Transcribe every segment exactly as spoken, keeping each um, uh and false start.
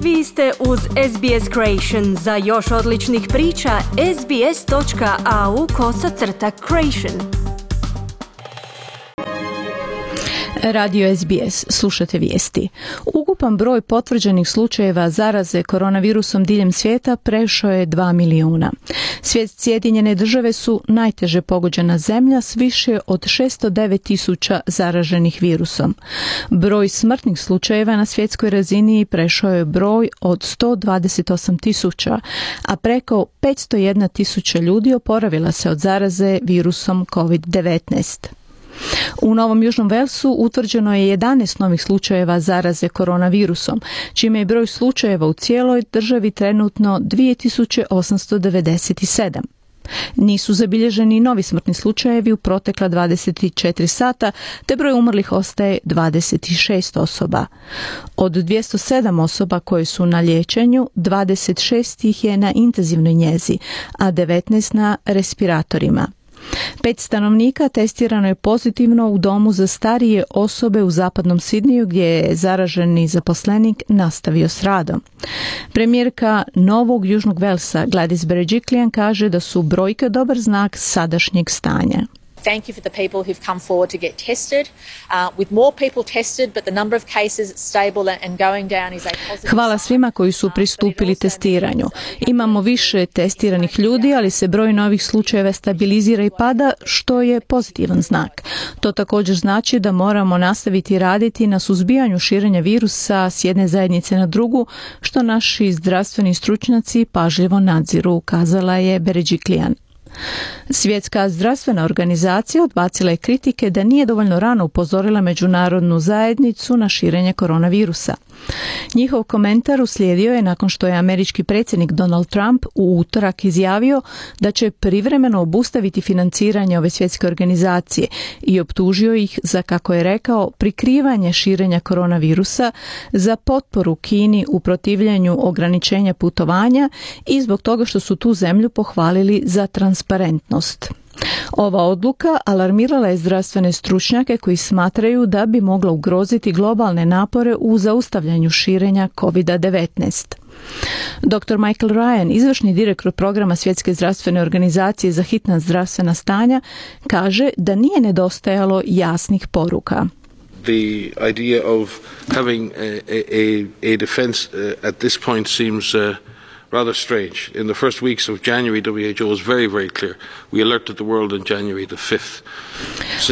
Vi ste uz S B S Creation. Za još odličnih priča, sbs.au kosacrta creation. Radio S B S, slušate vijesti. Ukupan broj potvrđenih slučajeva zaraze koronavirusom diljem svijeta prešao je dva milijuna. Sjedinjene države su najteže pogođena zemlja s više od šesto devet tisuća zaraženih virusom. Broj smrtnih slučajeva na svjetskoj razini prešao je broj od sto dvadeset osam tisuća, a preko petsto jedna tisuća ljudi oporavila se od zaraze virusom covid devetnaest. U Novom Južnom Velsu utvrđeno je jedanaest novih slučajeva zaraze koronavirusom, čime je broj slučajeva u cijeloj državi trenutno dvije tisuće osamsto devedeset sedam. Nisu zabilježeni novi smrtni slučajevi u protekla dvadeset četiri sata, te broj umrlih ostaje dvadeset šest osoba. Od dvjesto sedam osoba koje su na liječenju, dvadeset šest ih je na intenzivnoj njezi, a devetnaest na respiratorima. Pet stanovnika testirano je pozitivno u domu za starije osobe u zapadnom Sidniju, gdje je zaraženi zaposlenik nastavio s radom. Premijerka Novog Južnog Velsa Gladys Berejiklian kaže da su brojke dobar znak sadašnjeg stanja. Thank you for the people who've come forward to get tested. Uh, with more people tested, but the number of cases stable and going down is a positive. Hvala svima koji su pristupili testiranju. Imamo više testiranih ljudi, ali se broj novih slučajeva stabilizira i pada, što je pozitivan znak. To također znači da moramo nastaviti raditi na suzbijanju širenja virusa s jedne zajednice na drugu, što naši zdravstveni stručnjaci pažljivo nadziru, kazala je Berejiklian. Svjetska zdravstvena organizacija odbacila je kritike da nije dovoljno rano upozorila međunarodnu zajednicu na širenje koronavirusa. Njihov komentar uslijedio je nakon što je američki predsjednik Donald Trump u utorak izjavio da će privremeno obustaviti financiranje ove svjetske organizacije i optužio ih za, kako je rekao, prikrivanje širenja koronavirusa, za potporu Kini u protivljenju ograničenja putovanja i zbog toga što su tu zemlju pohvalili za transparentnost. Ova odluka alarmirala je zdravstvene stručnjake koji smatraju da bi mogla ugroziti globalne napore u zaustavljanju širenja covid devetnaest. doktor Michael Ryan, izvršni direktor programa Svjetske zdravstvene organizacije za hitna zdravstvena stanja, kaže da nije nedostajalo jasnih poruka. The idea of having a, a, a defense uh, at this point seems uh, rather strange. In the first weeks of January, W H O was very, very clear. We alerted the world on January the fifth.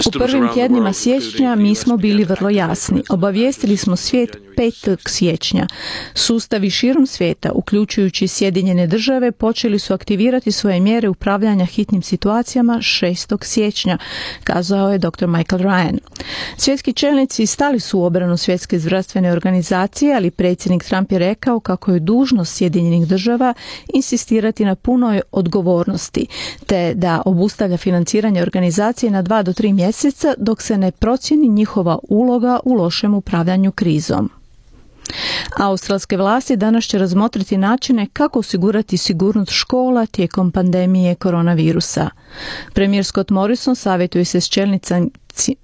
U prvim tjednima siječnja mi smo bili vrlo jasni. Obavijestili smo svijet petog siječnja. Sustavi širom svijeta, uključujući Sjedinjene države, počeli su aktivirati svoje mjere upravljanja hitnim situacijama šestog siječnja, kazao je doktor Michael Ryan. Svjetski čelnici stali su u obranu Svjetske zdravstvene organizacije, ali predsjednik Trump je rekao kako je dužnost Sjedinjenih država insistirati na punoj odgovornosti, te da obustavlja financiranje organizacije na dva do tri mjeseca dok se ne procijeni njihova uloga u lošem upravljanju krizom. Australske vlasti danas će razmotriti načine kako osigurati sigurnost škola tijekom pandemije koronavirusa. Premijer Scott Morrison savjetuje se s čelnicama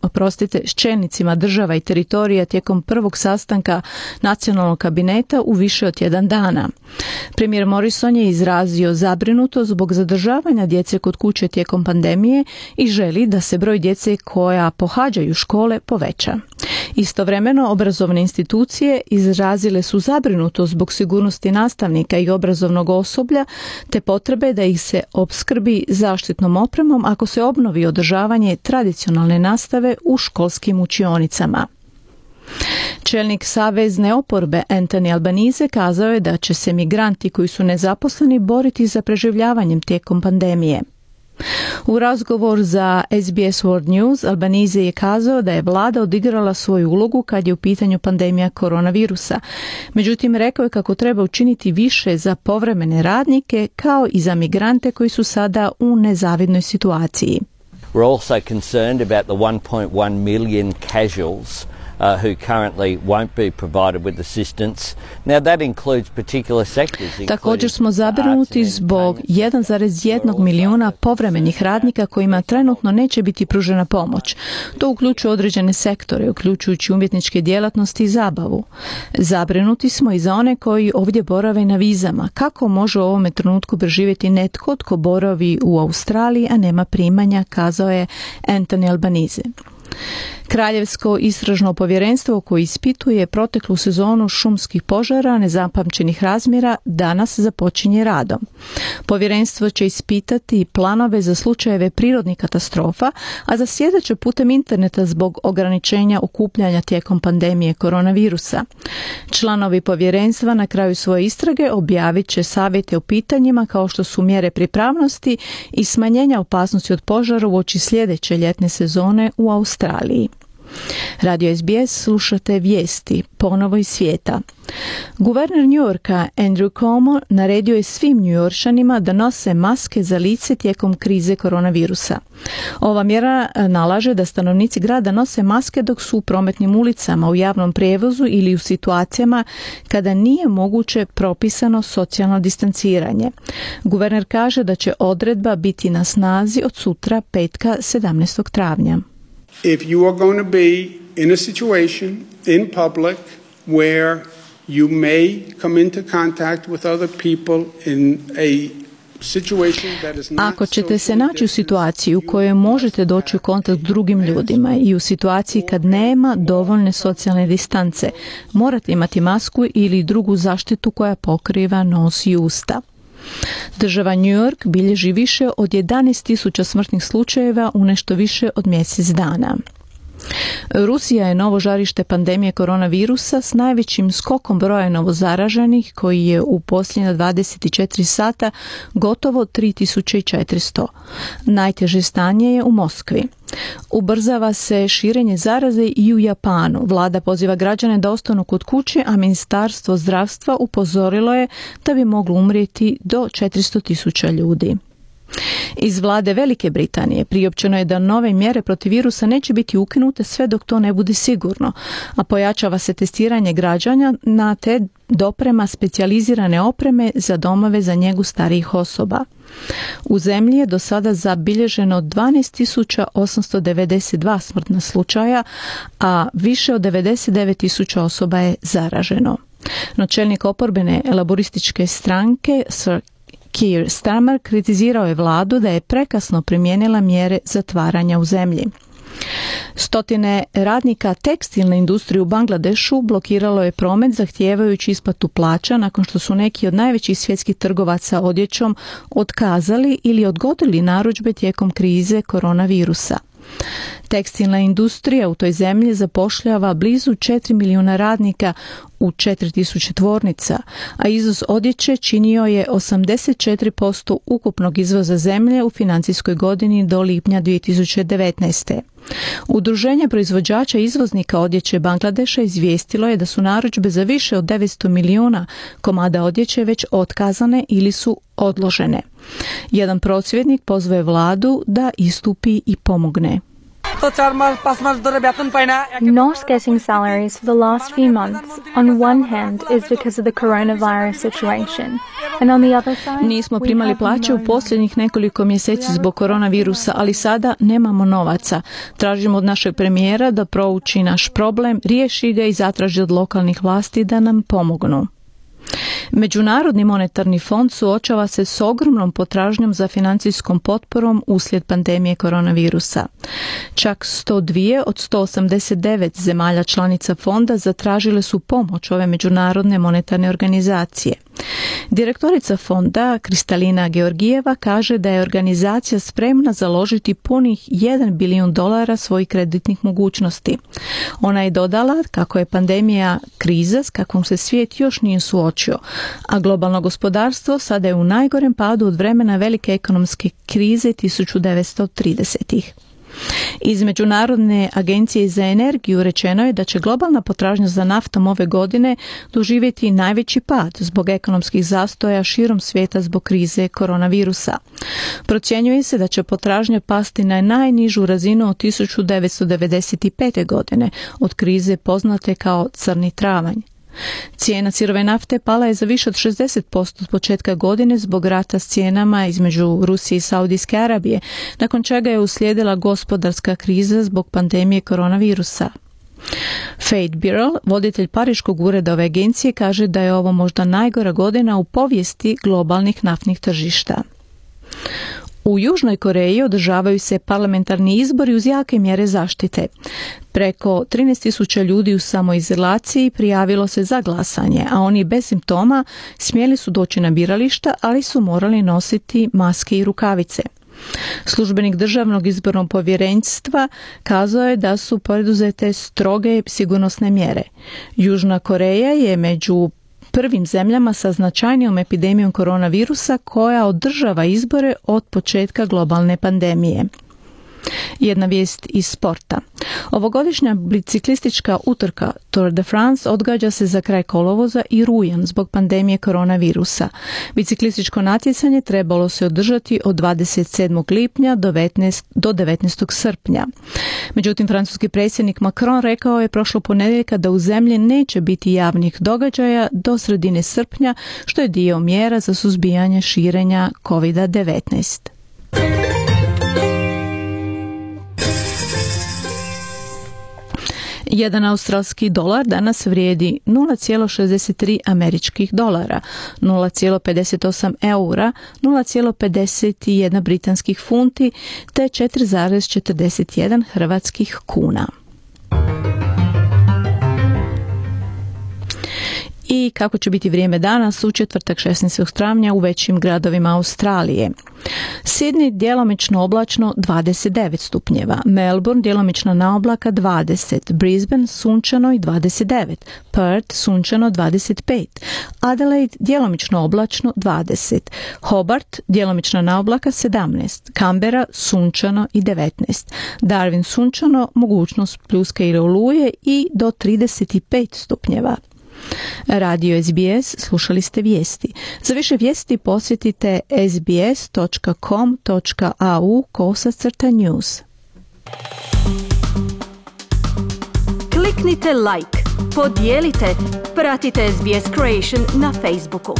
oprostite, s čelnicima država i teritorija tijekom prvog sastanka nacionalnog kabineta u više od tjedan dana. Premijer Morrison je izrazio zabrinutost zbog zadržavanja djece kod kuće tijekom pandemije i želi da se broj djece koja pohađaju škole poveća. Istovremeno, obrazovne institucije izrazile su zabrinutost zbog sigurnosti nastavnika i obrazovnog osoblja, te potrebe da ih se opskrbi zaštitnom opremom ako se obnovi održavanje tradicionalne nastave u školskim učionicama. Čelnik savezne oporbe Anthony Albanese kazao je da će se migranti koji su nezaposleni boriti za preživljavanjem tijekom pandemije. U razgovor za S B S World News Albanese je kazao da je vlada odigrala svoju ulogu kad je u pitanju pandemija koronavirusa. Međutim, rekao je kako treba učiniti više za povremene radnike kao i za migrante koji su sada u nezavidnoj situaciji. We're also concerned about the one point one million casuals Uh, who currently won't be provided with assistance. Now that includes particular sectors. Također smo zabrinuti zbog jedan zarez jedan milijuna povremenih radnika kojima trenutno neće biti pružena pomoć. To uključuje određene sektore, uključujući umjetničke djelatnosti i zabavu. Zabrinuti smo i za one koji ovdje borave na vizama. Kako može u ovome trenutku preživjeti netko tko boravi u Australiji, a nema primanja, kazao je Anthony Albanese. Kraljevsko istražno povjerenstvo koje ispituje proteklu sezonu šumskih požara nezapamćenih razmjera danas započinje radom. Povjerenstvo će ispitati planove za slučajeve prirodnih katastrofa, a zasjedat će putem interneta zbog ograničenja okupljanja tijekom pandemije koronavirusa. Članovi povjerenstva na kraju svoje istrage objavit će savjete o pitanjima kao što su mjere pripravnosti i smanjenja opasnosti od požara uoči sljedeće ljetne sezone u Australiji. Radio S B S, slušate vijesti ponovo iz svijeta. Guverner New Yorka Andrew Cuomo naredio je svim Njujoršanima da nose maske za lice tijekom krize koronavirusa. Ova mjera nalaže da stanovnici grada nose maske dok su u prometnim ulicama, u javnom prijevozu ili u situacijama kada nije moguće propisano socijalno distanciranje. Guverner kaže da će odredba biti na snazi od sutra, petka sedamnaestog travnja. If you are going to be in a situation in public where you may come into contact with other people in a situation that is not Ako ćete se naći u situaciji u kojoj možete doći u kontakt s drugim ljudima i u situaciji kad nema dovoljne socijalne distance, morate imati masku ili drugu zaštitu koja pokriva nos i usta. Država New York bilježi više od jedanaest tisuća smrtnih slučajeva u nešto više od mjesec dana. Rusija je novo žarište pandemije koronavirusa s najvećim skokom broja novozaraženih koji je u posljednja dvadeset četiri sata gotovo tri tisuće četiristo. Najteže stanje je u Moskvi. Ubrzava se širenje zaraze i u Japanu. Vlada poziva građane da ostanu kod kuće, a Ministarstvo zdravstva upozorilo je da bi moglo umrijeti do četiristo tisuća ljudi. Iz vlade Velike Britanije priopćeno je da nove mjere protiv virusa neće biti ukinute sve dok to ne bude sigurno, a pojačava se testiranje građana na te doprema specijalizirane opreme za domove za njegu starijih osoba. U zemlji je do sada zabilježeno dvanaest tisuća osamsto devedeset dva smrtna slučaja, a više od devedeset devet tisuća osoba je zaraženo. No čelnik oporbene laborističke stranke Sir Keir Starmer kritizirao je vladu da je prekasno primijenila mjere zatvaranja u zemlji. Stotine radnika tekstilne industrije u Bangladešu blokiralo je promet zahtijevajući isplatu plaća nakon što su neki od najvećih svjetskih trgovaca odjećom otkazali ili odgodili narudžbe tijekom krize koronavirusa. Tekstilna industrija u toj zemlji zapošljava blizu četiri milijuna radnika u četiri tisuće tvornica, a izvoz odjeće činio je osamdeset četiri posto ukupnog izvoza zemlje u financijskoj godini do lipnja dvije tisuće devetnaeste. Udruženje proizvođača i izvoznika odjeće Bangladeša izvijestilo je da su narudžbe za više od devetsto milijuna komada odjeće već otkazane ili su odložene. Jedan prosvjednik pozvao je vladu da istupi i pomogne. Not getting salaries for the last few months, on one hand, is because of the coronavirus situation, and on the other side, nismo primali plaće u posljednjih nekoliko mjeseci zbog koronavirusa, ali sada nemamo novaca. Tražimo od našeg premijera da prouči naš problem, riješi ga i zatraži od lokalnih vlasti da nam pomognu. Međunarodni monetarni fond suočava se s ogromnom potražnjom za financijskom potporom uslijed pandemije koronavirusa. Čak sto dva od sto osamdeset devet zemalja članica fonda zatražile su pomoć ove međunarodne monetarne organizacije. Direktorica fonda Kristalina Georgijeva kaže da je organizacija spremna založiti punih jedan bilijun dolara svojih kreditnih mogućnosti. Ona je dodala kako je pandemija kriza s kakvom se svijet još nije suočio, a globalno gospodarstvo sada je u najgorem padu od vremena velike ekonomske krize tisuću devetsto tridesetih. Iz Međunarodne agencije za energiju rečeno je da će globalna potražnja za naftom ove godine doživjeti najveći pad zbog ekonomskih zastoja širom svijeta zbog krize koronavirusa. Procjenjuje se da će potražnja pasti na najnižu razinu od tisuću devetsto devedeset pete. godine, od krize poznate kao crni travanj. Cijena sirove nafte pala je za više od šezdeset posto od početka godine zbog rata s cijenama između Rusije i Saudijske Arabije, nakon čega je uslijedila gospodarska kriza zbog pandemije koronavirusa. Fate Birrell, voditelj pariškog ureda ove agencije, kaže da je ovo možda najgora godina u povijesti globalnih naftnih tržišta. U Južnoj Koreji održavaju se parlamentarni izbori uz jake mjere zaštite. Preko trinaest tisuća ljudi u samoizolaciji prijavilo se za glasanje, a oni bez simptoma smjeli su doći na birališta, ali su morali nositi maske i rukavice. Službenik Državnog izbornog povjerenstva kazao je da su poduzete stroge sigurnosne mjere. Južna Koreja je među prvim zemljama sa značajnijom epidemijom koronavirusa koja održava izbore od početka globalne pandemije. Jedna vijest iz sporta. Ovogodišnja biciklistička utrka Tour de France odgađa se za kraj kolovoza i rujan zbog pandemije koronavirusa. Biciklističko natjecanje trebalo se održati od dvadeset sedmog lipnja do devetnaestog srpnja. Međutim, francuski predsjednik Macron rekao je prošlo ponedjeljka da u zemlji neće biti javnih događaja do sredine srpnja, što je dio mjera za suzbijanje širenja kovid devetnaest. Jedan australski dolar danas vrijedi nula zarez šezdeset tri američkih dolara, nula zarez pedeset osam eura, nula zarez pedeset jedan britanskih funti te četiri zarez četrdeset jedan hrvatskih kuna. I kako će biti vrijeme danas u četvrtak šesnaestog travnja u većim gradovima Australije. Sydney djelomično oblačno dvadeset devet stupnjeva, Melbourne djelomično na oblaka dvadeset, Brisbane sunčano i dvadeset devet, Perth sunčano dvadeset pet, Adelaide djelomično oblačno dvadeset, Hobart djelomično na oblaka sedamnaest, Canberra sunčano i devetnaest, Darwin sunčano, mogućnost pljuske ili oluje i do trideset pet stupnjeva. Radio S B S, slušali ste vijesti. Za više vijesti posjetite sbs točka com točka a u kosacrta news. Kliknite like, podijelite, pratite S B S Creation na Facebooku.